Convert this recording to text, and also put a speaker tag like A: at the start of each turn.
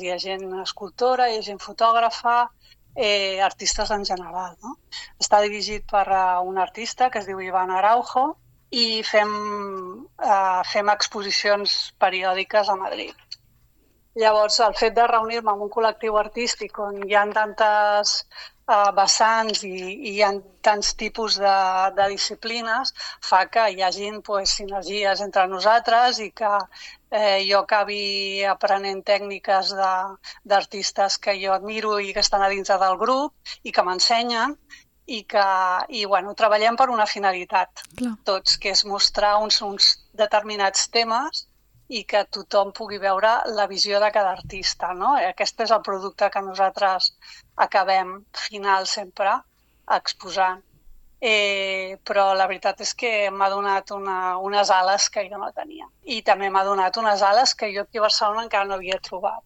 A: Hi ha gent escultora, hi ha gent fotògrafa, artistes en general, no? Està dirigit per un artista que es diu Iván Araujo i fem exposicions periòdiques a Madrid. Llavors, el fet de reunir-me amb un col·lectiu artístic on hi ha tantes vessants i hi ha tants tipus de disciplines fa que hi hagin sinergies entre nosaltres i que jo acabi aprenent tècniques d'artistes que jo admiro i que estan a dins del grup i que m'ensenyen i treballem per una finalitat, tots, que és mostrar uns determinats temes i que tothom pugui veure la visió de cada artista, no? Aquest és el producte que nosaltres acabem final sempre exposant. Però la veritat és que m'ha donat unes ales que jo no tenia. I també m'ha donat unes ales que jo aquí a Barcelona encara no havia trobat.